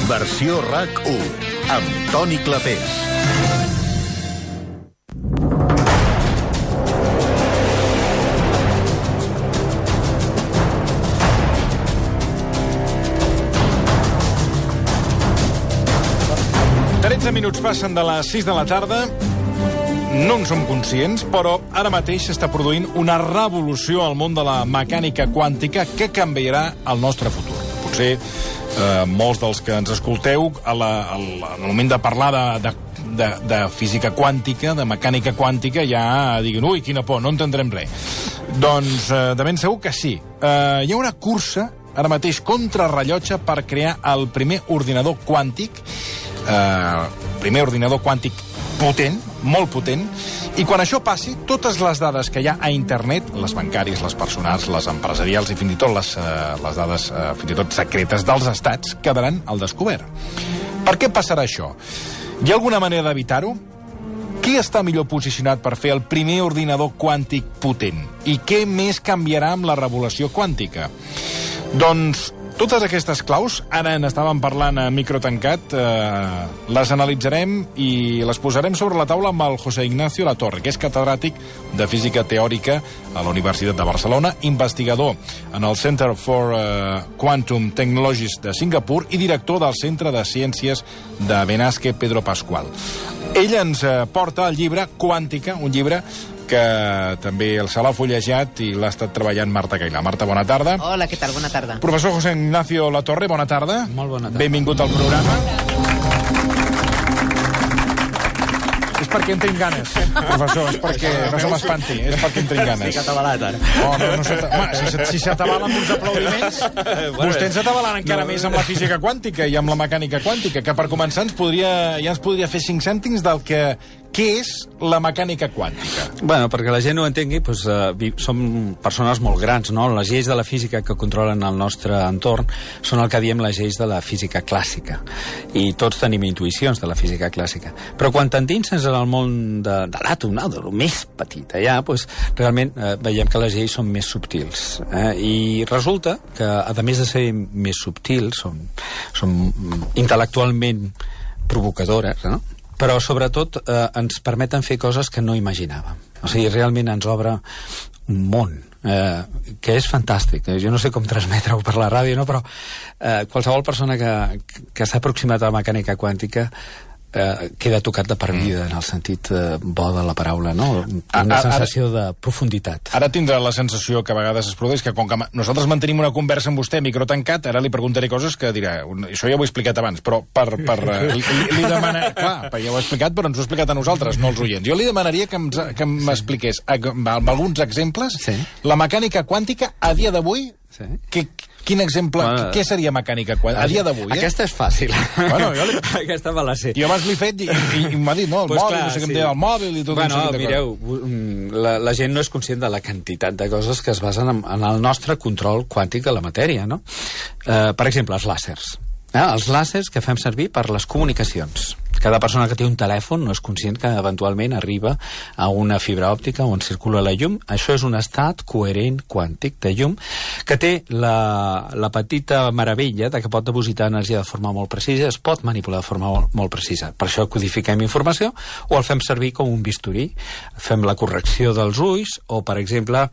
Versió RAC1, amb Toni Clapés. Minuts passen de les 6 de la tarda. No en som conscients, però ara mateix s'està produint una revolució al món de la mecànica quàntica que canviarà el nostre futur. Potser molts dels que ens escolteu al moment de parlar de física quàntica, de mecànica quàntica, ja diguin, ui, quina por, no entendrem res. Doncs de ben segur que sí. Hi ha una cursa ara mateix contrarrellotge per crear el primer ordinador quàntic, primer ordinador quàntic potent, molt potent, i quan això passi, totes les dades que hi ha a internet, les bancàries, les personals, les empresarials i fins i tot les dades fins i tot secretes dels estats, quedaran al descobert. Per què passarà això? Hi ha alguna manera d'evitar-ho? Qui està millor posicionat per fer el primer ordinador quàntic potent? I què més canviarà amb la revolució quàntica? Doncs totes aquestes claus, ara n'estàvem parlant a micro tancat, les analitzarem i les posarem sobre la taula amb el José Ignacio Latorre, que és catedràtic de Física Teòrica a la Universitat de Barcelona, investigador en el Center for Quantum Technologies de Singapur i director del Centre de Ciències de Benasque Pedro Pascual. Ell ens porta el llibre Quàntica, un llibre que també se l'ha fullejat i l'ha estat treballant Marta Cailà. Marta, bona tarda. Hola, què tal? Bona tarda. Professor José Ignacio Latorre, bona tarda. Molt bona tarda. Benvingut al programa. És perquè en tinc ganes, professor, és perquè no se m'espanti, és perquè en tinc ganes. Estic atabalat, ara. Si s'atabala amb uns aplaudiments, vostè ens atabalant encara més amb la física quàntica i amb la mecànica quàntica, que per començar ja ens podria fer 5 cèntims del que què és la mecànica quàntica. Bueno, perquè la gent ho entengui, doncs, som persones molt grans, no? Les lleis de la física que controlen el nostre entorn són el que diem les lleis de la física clàssica. I tots tenim intuïcions de la física clàssica. Però quan t'endinses en el món de l'àtom, no? De lo més petit allà, doncs, realment veiem que les lleis són més subtils. I resulta que, a més de ser més subtils, són intel·lectualment provocadores, no? Però sobretot ens permeten fer coses que no imaginàvem. O sigui, realment ens obre un món que és fantàstic. Jo no sé com transmetre-ho per la ràdio, no? Però qualsevol persona que s'ha aproximat a la mecànica quàntica queda tocat de per vida, en el sentit bo de la paraula, no? Una sensació de profunditat. Ara tindrà la sensació que a vegades es produeix que com que nosaltres mantenim una conversa amb vostè micro tancat, ara li preguntaré coses que dirà, això ja ho he explicat abans, però li demana... Clar, ja ho he explicat, però ens ho ha explicat a nosaltres, no als oients. Jo li demanaria que m'expliqués amb alguns exemples la mecànica quàntica a dia d'avui. Quin exemple, què seria mecànica quàntica a dia d'avui? Aquesta és fàcil. Bueno, aquesta me la sé. Jo abans l'he fet i m'ha dit, no, el mòbil, no sé què em deia el mòbil i tot un seguit de mireu, la gent no és conscient de la quantitat de coses que es basen en el nostre control quàntic de la matèria, no? Per exemple, els làsers. Els làsers que fem servir per les comunicacions. Cada persona que té un telèfon no és conscient que eventualment arriba a una fibra òptica on circula la llum. Això és un estat coherent quàntic de llum que té la petita meravella de que pot depositar energia de forma molt precisa, es pot manipular de forma molt precisa. Per això codifiquem informació o el fem servir com un bisturí. Fem la correcció dels ulls o, per exemple,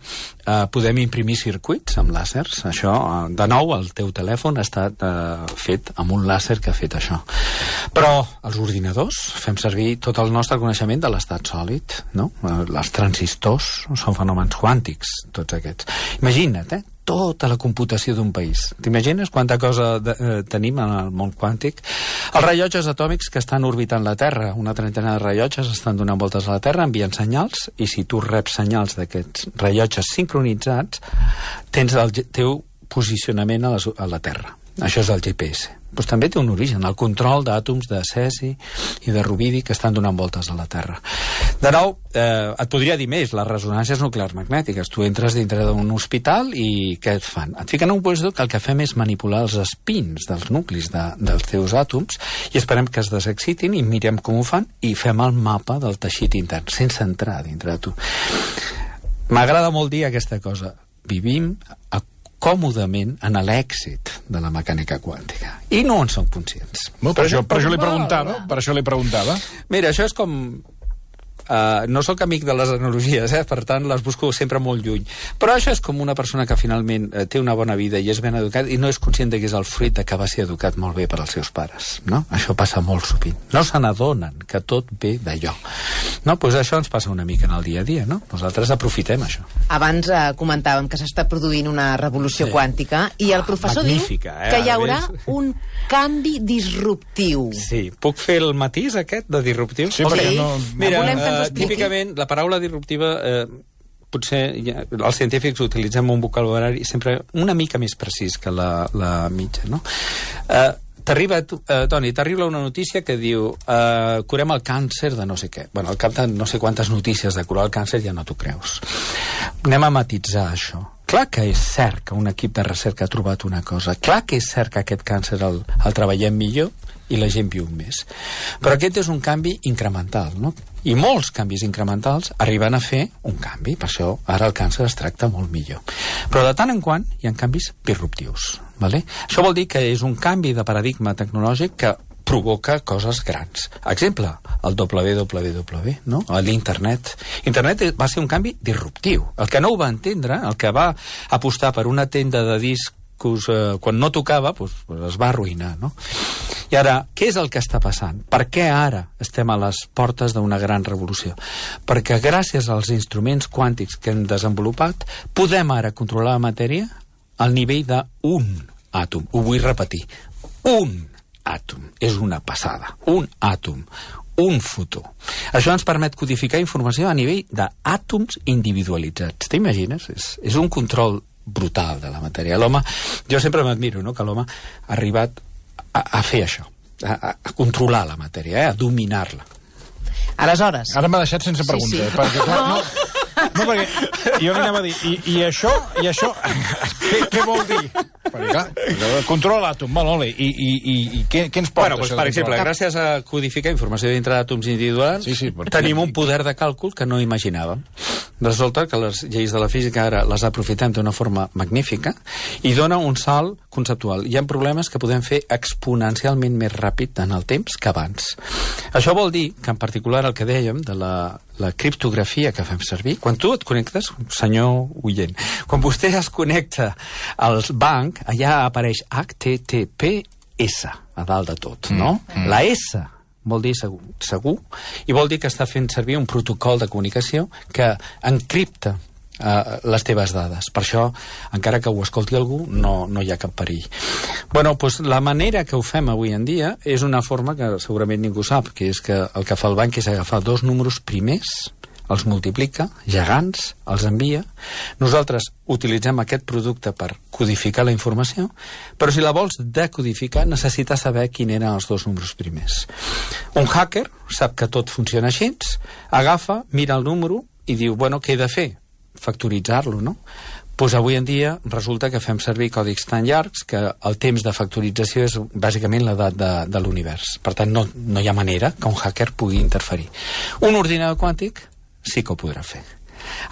podem imprimir circuits amb làsers. Això, de nou, el teu telèfon ha estat fet amb un làser que ha fet això. Però els ordinadors fem servir tot el nostre coneixement de l'estat sòlid, no? Els transistors són fenòmens quàntics, tots aquests. Imagina't, tota la computació d'un país. T'imagines quanta cosa tenim en el món quàntic? Els rellotges atòmics que estan orbitant la Terra, una trentena de rellotges estan donant voltes a la Terra, envien senyals, i si tu reps senyals d'aquests rellotges sincronitzats, tens el teu posicionament a la Terra. Això és el GPS. Doncs també té un origen, el control d'àtoms de cesi i de rubidi que estan donant voltes a la Terra. De nou, et podria dir més, les ressonàncies nuclears magnètiques. Tu entres dintre d'un hospital i què et fan? Et fiquen un puesto que el que fem és manipular els espins dels nuclis dels teus àtoms i esperem que es desexcitin i mirem com ho fan i fem el mapa del teixit intern, sense entrar dintre de tu. M'agrada molt dir aquesta cosa. Vivim còmodament en l'èxit de la mecànica quàntica. I no en són conscients. Per això li preguntava. Mira, això és com... no sóc amic de les analogies, per tant les busco sempre molt lluny, però això és com una persona que finalment té una bona vida i és ben educat i no és conscient que és el fruit de que va ser educat molt bé per als seus pares, no? Això passa molt sovint, no se n'adonen que tot ve d'allò, no? Doncs això ens passa una mica en el dia a dia, no? Nosaltres aprofitem això. Abans comentàvem que s'està produint una revolució quàntica i el professor diu que hi haurà un canvi disruptiu. Sí, puc fer el matís aquest de disruptiu? Sí, perquè no... Mira, típicament, la paraula disruptiva, potser els científics utilitzem un vocabulari sempre una mica més precís que la mitja, no? Toni, t'arriba una notícia que diu curem el càncer de no sé què. Bueno, al cap de no sé quantes notícies de curar el càncer ja no t'ho creus. Anem a matitzar això. Clar que és cert que un equip de recerca ha trobat una cosa. Clar que és cert que aquest càncer el treballem millor i la gent viu més. Però aquest és un canvi incremental, no? I molts canvis incrementals arriben a fer un canvi, per això ara el càncer es tracta molt millor. Però de tant en quant hi ha canvis disruptius, ¿vale? Això vol dir que és un canvi de paradigma tecnològic que provoca coses grans. Exemple, el www, no? L'internet. Internet va ser un canvi disruptiu. El que no ho va entendre, el que va apostar per una tenda de discs quan no tocava, doncs es va arruïnar, no? I ara, què és el que està passant? Per què ara estem a les portes d'una gran revolució? Perquè gràcies als instruments quàntics que hem desenvolupat, podem ara controlar la matèria al nivell d'un àtom. Ho vull repetir. Un àtom. És una passada. Un àtom. Un fotó. Això ens permet codificar informació a nivell d'àtoms individualitzats. T'imagines? És un control brutal de la matèria. L'home, jo sempre m'admiro, no?, que l'home ha arribat a fer això, a controlar la matèria, a dominar-la. Aleshores... Ara m'ha deixat sense pregunta, sí. Perquè clar, no, perquè jo li anava a dir, i això, què vol dir? Perquè clar, controla l'àtom, molt bé, i què ens porta? Bueno, doncs, per exemple, gràcies a codificar informació dintre d'àtoms individuals, tenim un poder de càlcul que no imaginàvem. Resulta que les lleis de la física ara les aprofitem d'una forma magnífica i dona un salt conceptual. Hi ha problemes que podem fer exponencialment més ràpid en el temps que abans. Això vol dir que, en particular, el que dèiem de la criptografia que fem servir, quan tu et connectes, senyor oient, quan vostè es connecta al banc, allà apareix HTTPS a dalt de tot, no? La S vol dir segur, i vol dir que està fent servir un protocol de comunicació que encripta les teves dades. Per això, encara que ho escolti algú, no hi ha cap perill. Bueno, doncs la manera que ho fem avui en dia és una forma que segurament ningú sap, que és que el que fa el banc és agafar dos números primers, els multiplica, gegants, els envia. Nosaltres utilitzem aquest producte per codificar la informació, però si la vols decodificar necessites saber quins eren els dos números primers. Un hacker sap que tot funciona així, agafa, mira el número i diu, bueno, què he de fer? Factoritzar-lo, no? Doncs avui en dia resulta que fem servir còdics tan llargs que el temps de factorització és bàsicament l'edat de l'univers. Per tant, no hi ha manera que un hacker pugui interferir. Un ordinador quàntic sí que ho podrà fer.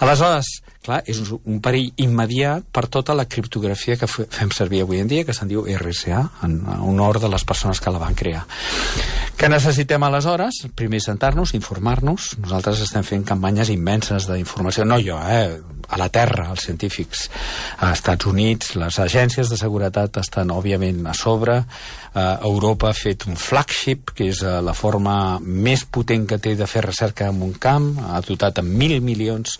Aleshores, clar, és un perill immediat per tota la criptografia que fem servir avui en dia, que se'n diu RSA, en honor de les persones que la van crear. Què necessitem aleshores? Primer sentar-nos, informar-nos. Nosaltres estem fent campanyes immenses d'informació, no jo, a la Terra, els científics. A Estats Units, les agències de seguretat estan, òbviament, a sobre. Europa ha fet un flagship, que és la forma més potent que té de fer recerca en un camp, ha dotat amb 1.000 milions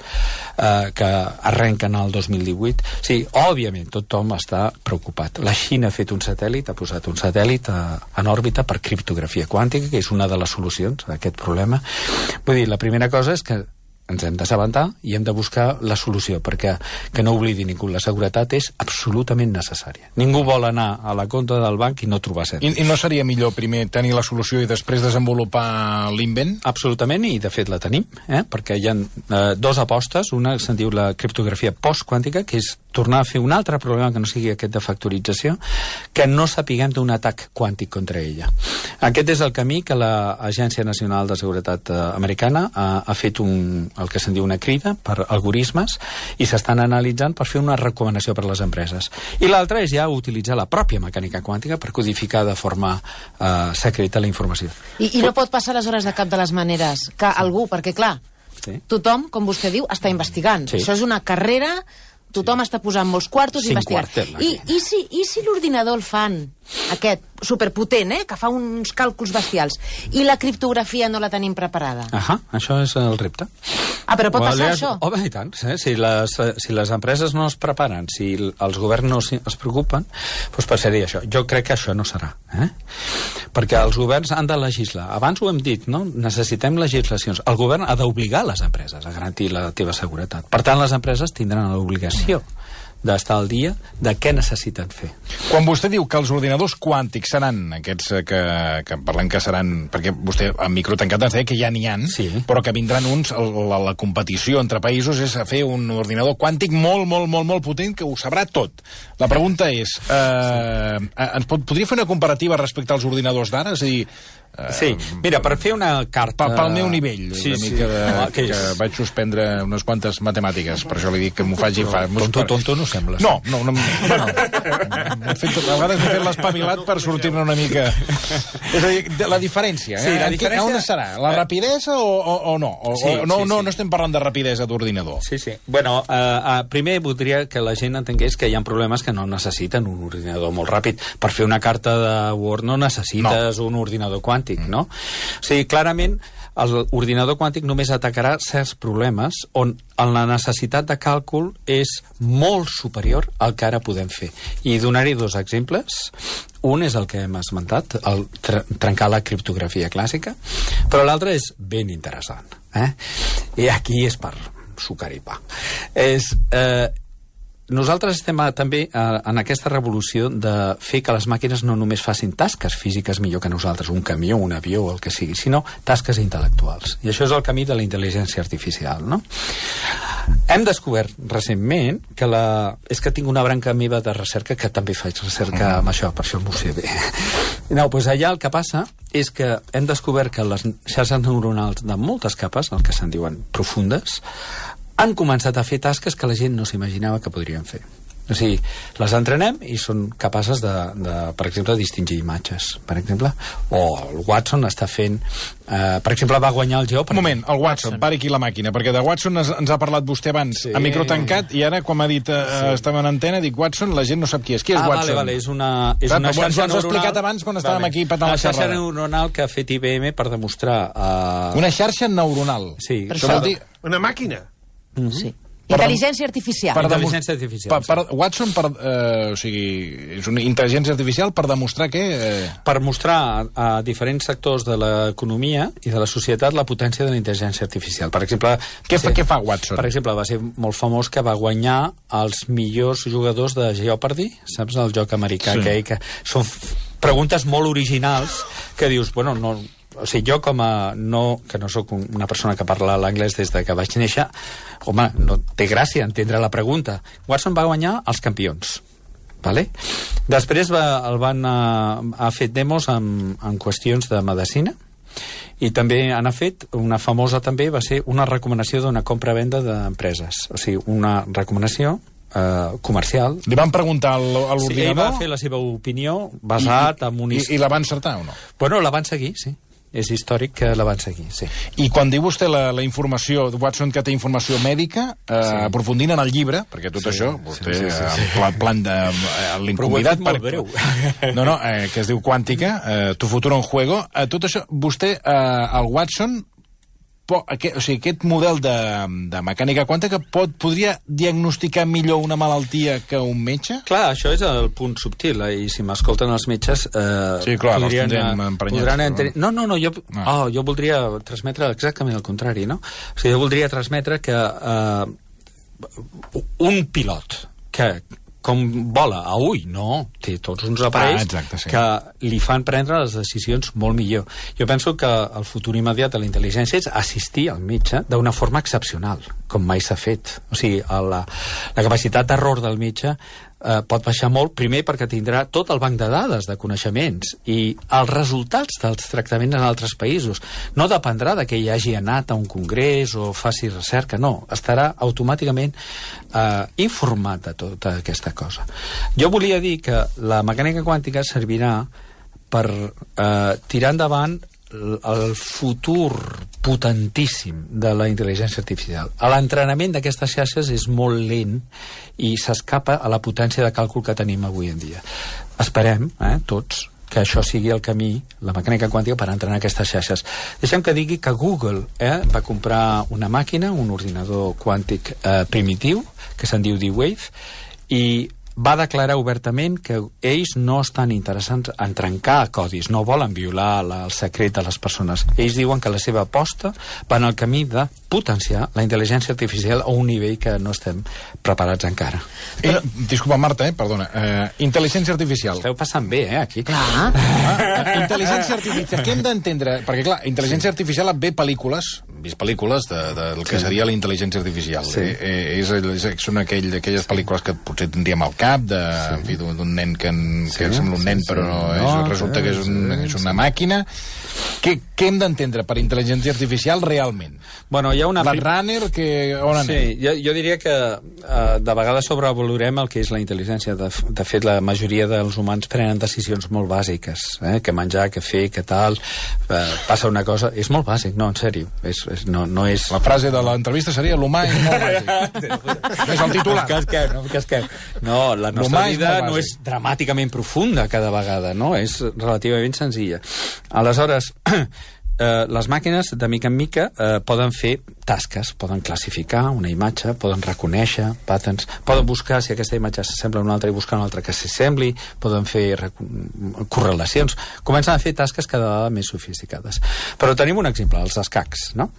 que arrenquen al 2018. Sí, òbviament, tothom està preocupat. La Xina ha fet un satèl·lit, ha posat un satèl·lit en òrbita per criptografia quàntica, que és una de les solucions a aquest problema. Vull dir, la primera cosa és que ens hem d'assabentar i hem de buscar la solució, perquè que no oblidi ningú, la seguretat és absolutament necessària. Ningú vol anar a la compta del banc i no trobar cert. I no seria millor primer tenir la solució i després desenvolupar l'invent? Absolutament, i de fet la tenim, perquè hi ha dues apostes. Una se'n diu la criptografia postquàntica, que és tornar a fer un altre problema que no sigui aquest de factorització, que no sapiguem d'un atac quàntic contra ella. Aquest és el camí que l'Agència Nacional de Seguretat americana ha fet el que se'n diu una crida per algoritmes, i s'estan analitzant per fer una recomanació per a les empreses. I l'altra és ja utilitzar la pròpia mecànica quàntica per codificar de forma secreta la informació. I no pot passar aleshores de cap de les maneres que algú, perquè clar, tothom, com vostè diu, està investigant. Això és una carrera, tothom està posant molts quartos i investigant. I si l'ordinador el fan, aquest superpotent, que fa uns càlculs bestials, i la criptografia no la tenim preparada? Això és el repte. Però pot passar això? Home, i tant. Si les empreses no es preparen, si els governs no es preocupen, doncs passaria això. Jo crec que això no serà. Perquè els governs han de legislar. Abans ho hem dit, no? Necessitem legislacions. El govern ha d'obligar les empreses a garantir la teva seguretat. Per tant, les empreses tindran l'obligació d'estar al dia de què necessiten fer. Quan vostè diu que els ordinadors quàntics seran aquests que parlem que seran, perquè vostè en micro tancat ens deia que ja n'hi ha, però que vindran uns, la competició entre països és a fer un ordinador quàntic molt, molt, molt, molt potent que ho sabrà tot. La pregunta és, podria fer una comparativa respecte als ordinadors d'ara? És a dir, sí, mira, per fer una carta... Pel meu nivell, que vaig suspendre unes quantes matemàtiques, per això li dic que m'ho faci... Tonto no sembles. No, bueno, a vegades m'he fet l'espavilat per sortir-ne una mica... És a dir, la diferència, on serà? La rapidesa o no? No estem parlant de rapidesa d'ordinador. Sí. Bueno, primer voldria que la gent entengués que hi ha problemes que no necessiten un ordinador molt ràpid. Per fer una carta de Word no necessites un ordinador quàntic, no? O sigui, clarament, l'ordinador quàntic només atacarà certs problemes on la necessitat de càlcul és molt superior al que ara podem fer. I donaré dos exemples. Un és el que hem esmentat, trencar la criptografia clàssica, però l'altre és ben interessant. I aquí és per sucar i pa. Nosaltres estem també en aquesta revolució de fer que les màquines no només facin tasques físiques millor que nosaltres, un camió, un avió o el que sigui, sinó tasques intel·lectuals. I això és el camí de la intel·ligència artificial, no? Hem descobert recentment que és que tinc una branca meva de recerca que també faig recerca amb això, per això m'ho sé bé. No, doncs allà el que passa és que hem descobert que les xarxes neuronals de moltes capes, el que se'n diuen profundes, han començat a fer tasques que la gent no s'imaginava que podrien fer. O sigui, les entrenem i són capaces de per exemple, distingir imatges, per exemple. O el Watson està fent... per exemple, va guanyar el Geo... Un moment, el Watson, pari aquí la màquina, perquè de Watson ens ha parlat vostè abans a micro tancat, i ara, com ha dit, estava en antena, dic Watson, la gent no sap qui és. Qui és Watson? Vale, és una xarxa neuronal... Ens ho has explicat abans quan estàvem aquí patant la xerrada. Una xarxa neuronal que ha fet IBM per demostrar... Una xarxa neuronal? Sí. Això vol dir... Una màquina? Sí. Intel·ligència artificial. Intel·ligència artificial. Watson, o sigui, és una intel·ligència artificial per demostrar què? Per mostrar a diferents sectors de l'economia i de la societat la potència de la intel·ligència artificial. Per exemple... Què fa Watson? Per exemple, va ser molt famós que va guanyar els millors jugadors de Jeopardy, saps, el joc americà, que són preguntes molt originals que dius, bueno, no... O sigui, jo que no sóc una persona que parla l'anglès des de que vaig néixer, home, no té gràcia entendre la pregunta. Watson va guanyar els campions, vale? Després ha fet demos en qüestions de medicina, i també han fet, una famosa també va ser una recomanació d'una compra-venda d'empreses, o sigui, una recomanació comercial. Li van preguntar a l'ordinador? Sí, ell va fer la seva opinió basat en un... I la van encertar o no? Bueno, la van seguir, sí. És històric que la van seguir, sí. I quan diu vostè la informació, Watson que té informació mèdica, aprofundint en el llibre, perquè tot això, vostè, en plan de l'inconvidat... Però ho he fet molt breu. No, que es diu Quàntica, Tu futuro en juego, tot això, vostè, el Watson, o sigui, aquest model de mecànica quàntica podria diagnosticar millor una malaltia que un metge? Clar, això és el punt subtil, i si m'escolten els metges sí, clar, podran entendre... No, jo voldria transmetre exactament el contrari, no? O sigui, jo voldria transmetre que un pilot que com vola a ull, no, té tots uns aparells que li fan prendre les decisions molt millor. Jo penso que el futur immediat de la intel·ligència és assistir al metge d'una forma excepcional, com mai s'ha fet. O sigui, la capacitat d'error del metge pot baixar molt, primer perquè tindrà tot el banc de dades de coneixements i els resultats dels tractaments en altres països. No dependrà de que hi hagi anat a un congrés o faci recerca, no. Estarà automàticament informat de tota aquesta cosa. Jo volia dir que la mecànica quàntica servirà per tirar endavant el futur potentíssim de la intel·ligència artificial. L'entrenament d'aquestes xarxes és molt lent i s'escapa a la potència de càlcul que tenim avui en dia. Esperem, tots, que això sigui el camí, la mecànica quàntica, per entrenar aquestes xarxes. Deixem que digui que Google va comprar una màquina, un ordinador quàntic primitiu, que se'n diu D-Wave, i va declarar obertament que ells no estan interessants en trencar codis, no volen violar el secret de les persones. Ells diuen que la seva aposta va en el camí de potenciar la intel·ligència artificial a un nivell que no estem preparats encara. Disculpa, Marta, perdona. Intel·ligència artificial. Esteu passant bé, aquí. Clar. Intel·ligència artificial. Què hem d'entendre? Perquè, clar, intel·ligència artificial ve pel·lícules, vist pel·lícules del que seria la intel·ligència artificial. Són aquelles pel·lícules que potser tindríem al cap, d'un nen que sembla un nen, però resulta que és una màquina. Què hem d'entendre per intel·ligència artificial realment? Bueno, hi ha una... Blade Runner, on anem? Sí, jo diria que de vegades sobrevalorem el que és la intel·ligència. De fet, la majoria dels humans prenen decisions molt bàsiques. Què menjar, què fer, què tal... Passa una cosa... És molt bàsic, no, en sèrio. No és... La frase de l'entrevista seria l'humà és molt bàsic. És el titular. No, la nostra vida no és dramàticament profunda cada vegada, no? És relativament senzilla. Aleshores, les màquines, de mica en mica, poden fer tasques, poden classificar una imatge, poden reconèixer patterns, poden buscar si aquesta imatge s'assembla a una altra i buscar una altra que s'assembli, poden fer correlacions, comencen a fer tasques cada vegada més sofisticades. Però tenim un exemple, els escacs, no?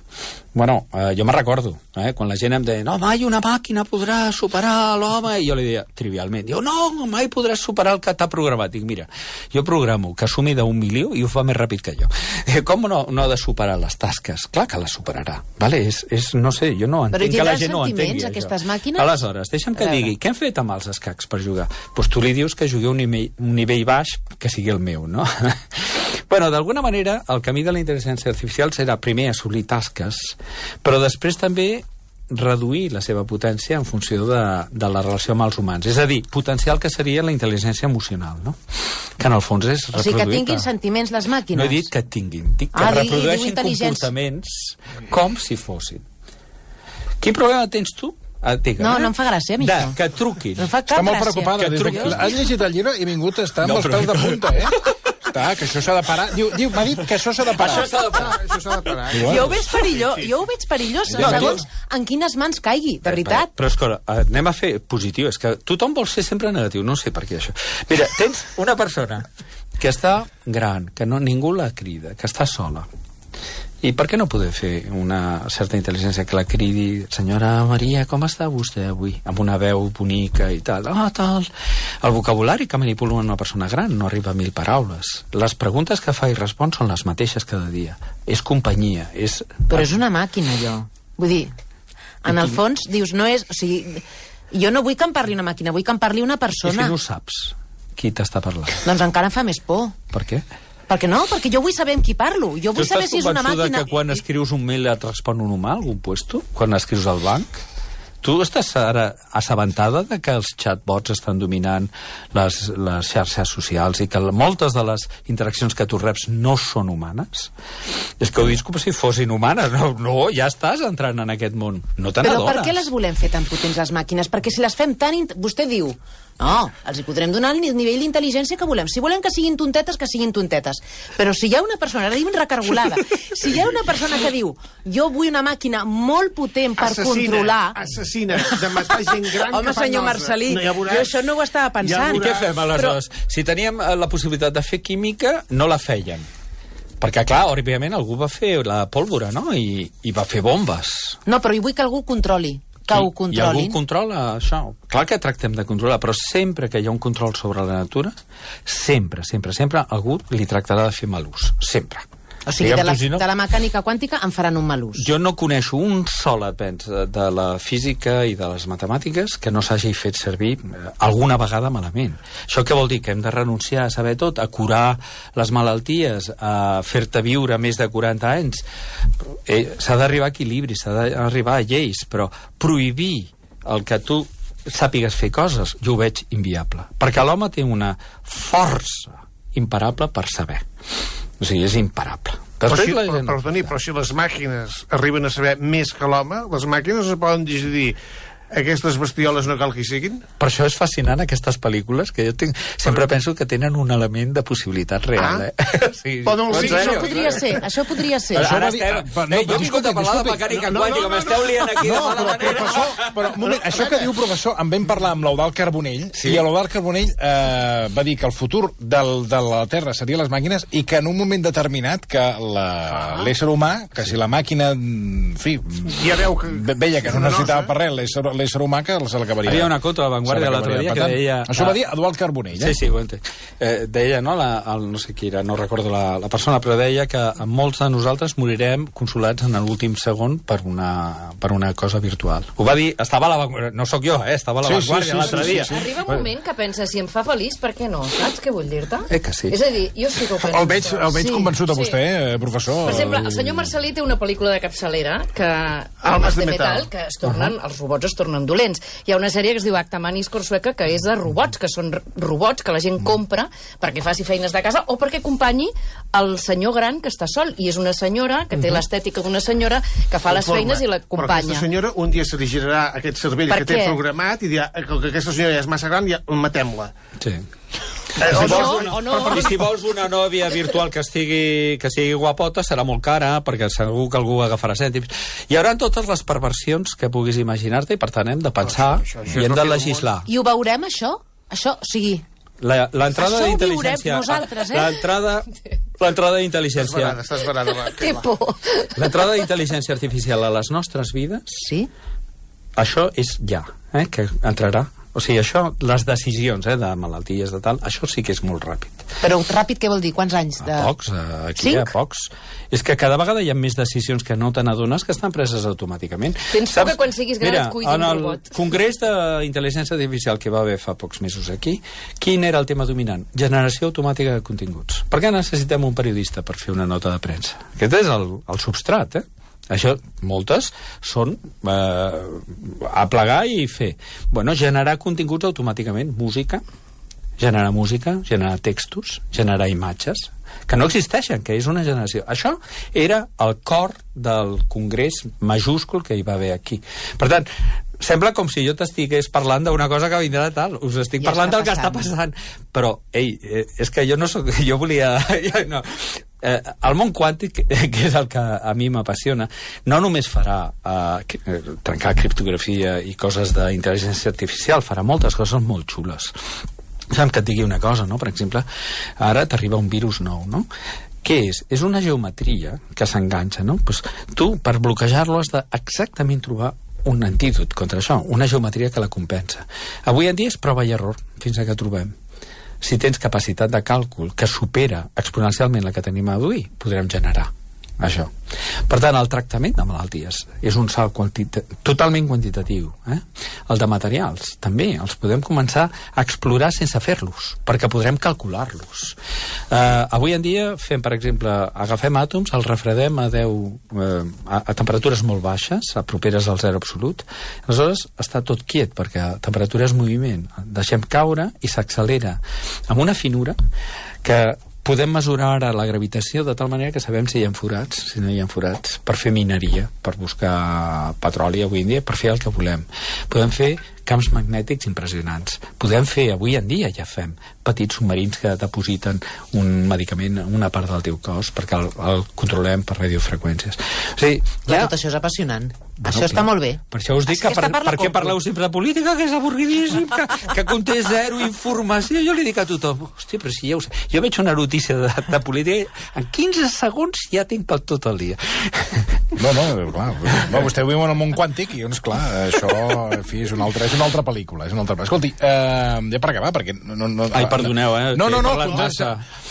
Bueno, jo me'n recordo, quan la gent em deia no, mai una màquina podrà superar l'home, i jo li deia, trivialment, diu, no, mai podràs superar el que t'ha programat. Dic, mira, jo programo que sumi d'1 milió i ho fa més ràpid que jo. Com no ha de superar les tasques? Clar que les superarà, vale? No sé, jo no entenc que la gent no entengui aquestes màquines? Aleshores, deixa'm que digui, què han fet amb els escacs per jugar? Doncs tu li dius que jugui un nivell baix que sigui el meu, no? Bueno, d'alguna manera, el camí de la intel·ligència artificial serà primer assolir tasques, però després també reduir la seva potència en funció de la relació amb els humans. És a dir, potenciar el que seria la intel·ligència emocional, no? Que en el fons és reproduir... O sigui, que tinguin sentiments les màquines. No he dit que tinguin, dic que reprodueixin comportaments com si fossin. Quin problema tens tu? No em fa gràcia, a mi això. Que truquin. No em fa cap gràcia. Està molt preocupada. Has llegit el llibre i ha vingut a estar amb els peus de punta, Està, que això s'ha de parar. M'ha dit que això s'ha de parar. Això s'ha de parar. Jo ho veig perillós. Segons en quines mans caigui, de veritat. Però escolta, anem a fer positiu. És que tothom vol ser sempre negatiu. No sé per què això. Mira, tens una persona que està gran, que ningú la crida, que està sola. I per què no poder fer una certa intel·ligència que la cridi, senyora Maria, com està vostè avui? Amb una veu bonica i tal. Tal. El vocabulari que manipula una persona gran no arriba a 1000 paraules. Les preguntes que fa i respon són les mateixes cada dia. És companyia, és... Però és una màquina, allò. Vull dir, en el fons, dius, no és... O sigui, jo no vull que em parli una màquina, vull que em parli una persona. I si no saps qui t'està parlant? Doncs encara em fa més por. Per què? Perquè no, perquè jo vull saber amb qui parlo. Jo vull saber si és una màquina... Tu estàs convençuda que quan escrius un mail et respon un humà, algun puesto? Quan escrius al banc? Tu estàs ara assabentada de que els chatbots estan dominant les xarxes socials i que moltes de les interaccions que tu reps no són humanes? És que ho dius com si fossin humanes. No, ja estás entrant en aquest món. No te n'adones. Però per què les volem fer tan potents, les màquines? Perquè si les fem tan... Vostè diu... No, els hi podrem donar el nivell d'intel·ligència que volem. Si volem que siguin tontetes, que siguin tontetes. Però si hi ha una persona, ara diuen recargolada, si hi ha una persona que diu jo vull una màquina molt potent per controlar... Assassina, de matar gent gran. Home, senyor Marcelí, jo això no ho estava pensant. I què fem, aleshores? Si teníem la possibilitat de fer química, no la feien. Perquè, clar, òbviament algú va fer la pólvora, no? I va fer bombes. No, però jo vull que algú controli. Que ho controlin. I algú controla això. Clar que tractem de controlar, però sempre que hi ha un control sobre la natura, sempre algú li tractarà de fer mal ús. Sempre. O sigui, de la mecànica quàntica en faran un mal ús. Jo no coneixo un sol avenç de la física i de les matemàtiques que no s'hagi fet servir alguna vegada malament. Això què vol dir? Que hem de renunciar a saber tot, a curar les malalties, a fer-te viure més de 40 anys. S'ha d'arribar a equilibri, s'ha d'arribar a lleis, però prohibir el que tu sàpigues fer coses, jo ho veig inviable. Perquè l'home té una força imparable per saber. O sigui, és imparable. Però si les màquines arriben a saber més que l'home, les màquines es poden decidir aquestes bestioles no cal que hi siguin? Per això és fascinant aquestes pel·lícules, que jo sempre penso que tenen un element de possibilitat real. Sí. Això podria ser. Jo he vingut a parlar de mecànica quàntica, m'esteu liant aquí de mala manera. Però, un moment, això que diu, professor, en vam parlar amb l'Eudald Carbonell, i l'Eudald Carbonell va dir que el futur de la Terra seria les màquines i que en un moment determinat que l'ésser humà, que si la màquina, en fi, veia que no necessitava per res l'ésser humà, que se l'acabaria. Hi havia una contra la Vanguardia l'altre dia que deia... Això va dir Eduard Carbonell, Sí, ho entenc. Deia, no sé qui era, no recordo la persona, però deia que molts de nosaltres morirem consolats en l'últim segon per una cosa virtual. Ho va dir, estava a la Vanguardia, no sóc jo, estava a la Vanguardia l'altre dia. Arriba un moment que pensa, si em fa feliç, per què no? Saps què vull dir-te? Que sí. És a dir, jo sí que ho penso. El veig convençut a vostè, professor. Per exemple, el senyor Marcelí té una pel·lícula de capçalera que Almas de metal, que es tornen, els robots es tornen dolents. Hi ha una sèrie que es diu Acta Maniscor sueca, que és de robots, que són robots que la gent compra perquè faci feines de casa o perquè acompanyi el senyor gran que està sol, i és una senyora que té l'estètica d'una senyora que fa les feines i l'acompanya. Però aquesta senyora un dia se li girarà aquest cervell que té programat i dirà que aquesta senyora ja és massa gran, ja matem-la. Sí. O no. I si vols una nòvia virtual que sigui guapota, serà molt cara, perquè segur que algú agafarà cèntims. Hi haurà totes les perversions que puguis imaginar-te, i per tant hem de pensar i hem de legislar. I ho veurem, això? Això, o sigui... L'entrada d'intel·ligència... nosaltres, L'entrada d'intel·ligència... Estàs barada, va. Té por. L'entrada d'intel·ligència artificial a les nostres vides... Sí? Això és ja, que entrarà. O sigui, això, les decisions de malalties, de tal, això sí que és molt ràpid. Però ràpid què vol dir? Quants anys? A pocs, aquí a pocs. És que cada vegada hi ha més decisions que no te n'adones que estan preses automàticament. Tens por que quan siguis gran et cuidi un robot. En el Congrés d'Intel·ligència Artificial que va haver fa pocs mesos aquí, quin era el tema dominant? Generació automàtica de continguts. Per què necessitem un periodista per fer una nota de premsa? Aquest és el substrat, Això, moltes, són a plegar i fer. Bueno, generar continguts automàticament, generar textos, generar imatges, que no existeixen, que és una generació. Això era el cor del congrés majúscul que hi va haver aquí. Per tant, sembla com si jo t'estigués parlant d'una cosa que vindrà de tal. Us estic parlant del que està passant. Però, és que jo no soc... Jo volia... No. El món quàntic, que és el que a mi m'apassiona, no només farà trencar criptografia i coses d'intel·ligència artificial, farà moltes coses molt xules. Deixa'm que et digui una cosa, no? Per exemple, ara t'arriba un virus nou, no? Què és? És una geometria que s'enganxa, no? Pues tu, per bloquejar-lo, has de exactament trobar un antídot contra això, una geometria que la compensa. Avui en dia és prova i error, fins que trobem. Si tens capacitat de càlcul que supera exponencialment la que tenim avui, podrem generar això. Per tant, el tractament de malalties és un salt totalment quantitatiu. El de materials, també, els podem començar a explorar sense fer-los, perquè podrem calcular-los. Avui en dia fem, per exemple, agafem àtoms, els refredem a temperatures molt baixes, a properes al zero absolut, aleshores està tot quiet, perquè a temperatura és moviment. Deixem caure i s'accelera amb una finura que podem mesurar ara la gravitació de tal manera que sabem si hi ha forats, si no hi ha forats, per fer mineria, per buscar petroli avui en dia, per fer el que volem. Podem fer camps magnètics impressionants. Podem fer, avui en dia ja fem, petits submarins que depositen un medicament en una part del teu cos perquè el controlem per radiofreqüències. O sigui, tot això és apassionant. Això està molt bé. Per això us dic que per què parleu sempre de política, que és avorridíssim, que conté zero informació. Jo li dic a tothom, hòstia, però si ja ho sé. Jo veig una notícia de política, en 15 segons ja tinc per tot el dia. No, clar. Vostè viu en el món quàntic i, doncs, clar, això, en fi, és una altra és una altra pel·lícula. Escolti, ja per acabar, perquè... Ai, perdoneu, No,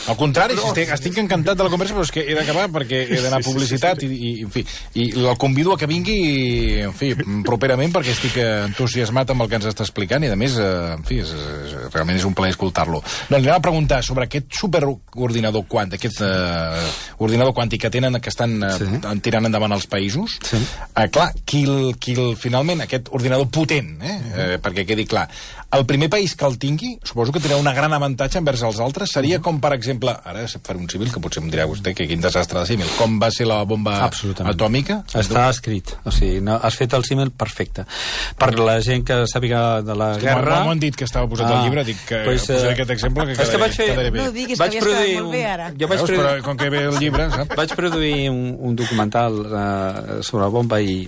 al contrari, estic encantat de la conversa, però és que he d'acabar perquè he d'anar a publicitat i, en fi, i el convido a que vingui, en fi, properament, perquè estic entusiasmat amb el que ens està explicant i, a més, en fi, realment és un plaer escoltar-lo. No, li anava a preguntar sobre aquest superordinador quàntic, aquest ordinador quàntic que tenen, que estan tirant endavant els països. Clar, finalment, aquest ordinador potent, perquè quedi clar, el primer país que el tingui, suposo que tindrà una gran avantatge envers els altres, seria com, per exemple, ara faré un símil, que potser em dirà vostè que quin desastre de símil, com va ser la bomba atòmica? Està escrit, o sigui, has fet el símil perfecte. Per la gent que sàpiga de la guerra... M'ho han dit que estava posat al llibre, dic que posaré aquest exemple que quedaré bé. No diguis que havies quedat molt bé, ara. Però com que ve el llibre, saps? Vaig produir un documental sobre la bomba i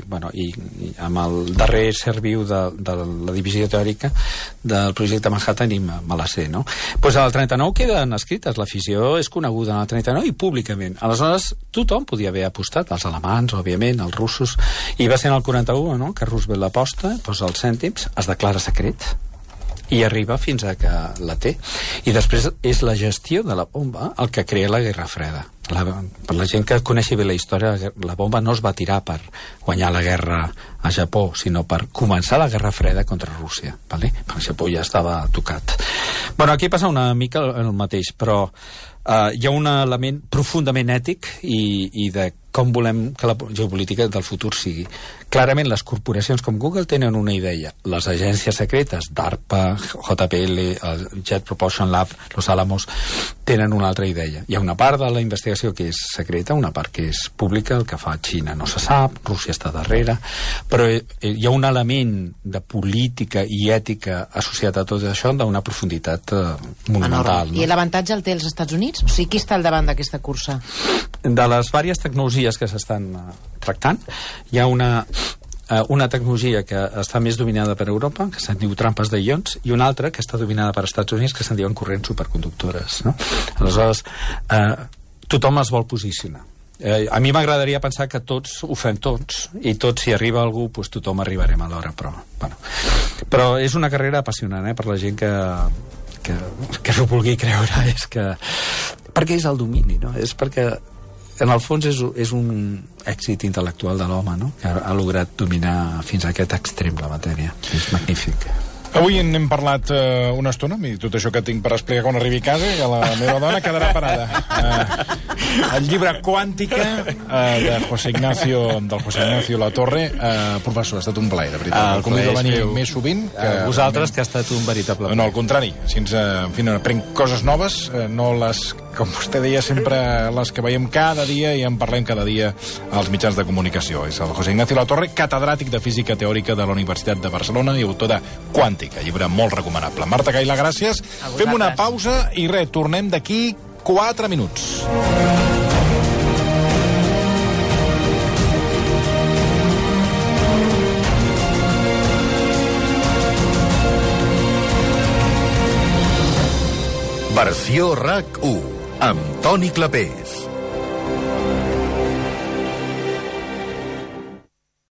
amb el darrer ser viu de la divisió teòrica del projecte Manhattan i me la sé, no? Doncs al 39 queden escrites, la fissió és coneguda en el 39 i públicament. Aleshores, tothom podia haver apostat, els alemans, òbviament, els russos, i va ser en el 41, no?, que Roosevelt l'aposta, posa els cèntims, es declara secret, i arriba fins a que la té. I després és la gestió de la bomba el que crea la Guerra Freda. Per la gent que coneixi bé la història, la bomba no es va tirar per guanyar la guerra a Japó, sinó per començar la Guerra Freda contra Rússia, vale? Perquè Japó ja estava tocat. Bueno, aquí passa una mica el mateix, però hi ha un element profundament ètic i de com volem que la geopolítica del futur sigui. Clarament, les corporacions com Google tenen una idea. Les agències secretes, DARPA, JPL, el Jet Propulsion Lab, Los Alamos, tenen una altra idea. Hi ha una part de la investigació que és secreta, una part que és pública, el que fa Xina no se sap, Rússia està darrere, però hi ha un element de política i ètica associat a tot això d'una profunditat monumental. No? I l'avantatge el té els Estats Units? O sigui, qui està al davant d'aquesta cursa? De les diverses tecnologies que s'estan tractant, hi ha una tecnologia que està més dominada per Europa, que se'n diu trampes de ions, i una altra que està dominada per Estats Units, que se'n diuen corrents superconductores, no? Aleshores, tothom es vol posicionar. A mi m'agradaria pensar que tots ho fem tots, i tots, si arriba algú, doncs tothom arribarem a l'hora, però és una carrera apassionant, per la gent que s'ho vulgui creure, perquè és el domini, no? És perquè en el fons és un èxit intel·lectual de l'home, no?, que ha lograt dominar fins a aquest extrem la matèria. És magnífic. Avui n'hem parlat una estona, i tot això que tinc per explicar quan arribi a casa, i la meva dona quedarà parada. El llibre Quàntica del José Ignacio Latorre. Professor, ha estat un plaer, de veritat. El convido a venir més sovint. Vosaltres, que ha estat un veritable plaer. No, al contrari. Si ens, en fi, aprenc coses noves, no les, com vostè deia, sempre les que veiem cada dia i en parlem cada dia als mitjans de comunicació. És el José Ignacio Latorre, catedràtic de Física Teòrica de la Universitat de Barcelona i autor de Quàntica, llibre molt recomanable. Marta Caila, gràcies. Fem una pausa i tornem d'aquí 4 minuts. Versió RAC 1 amb Toni Clapés.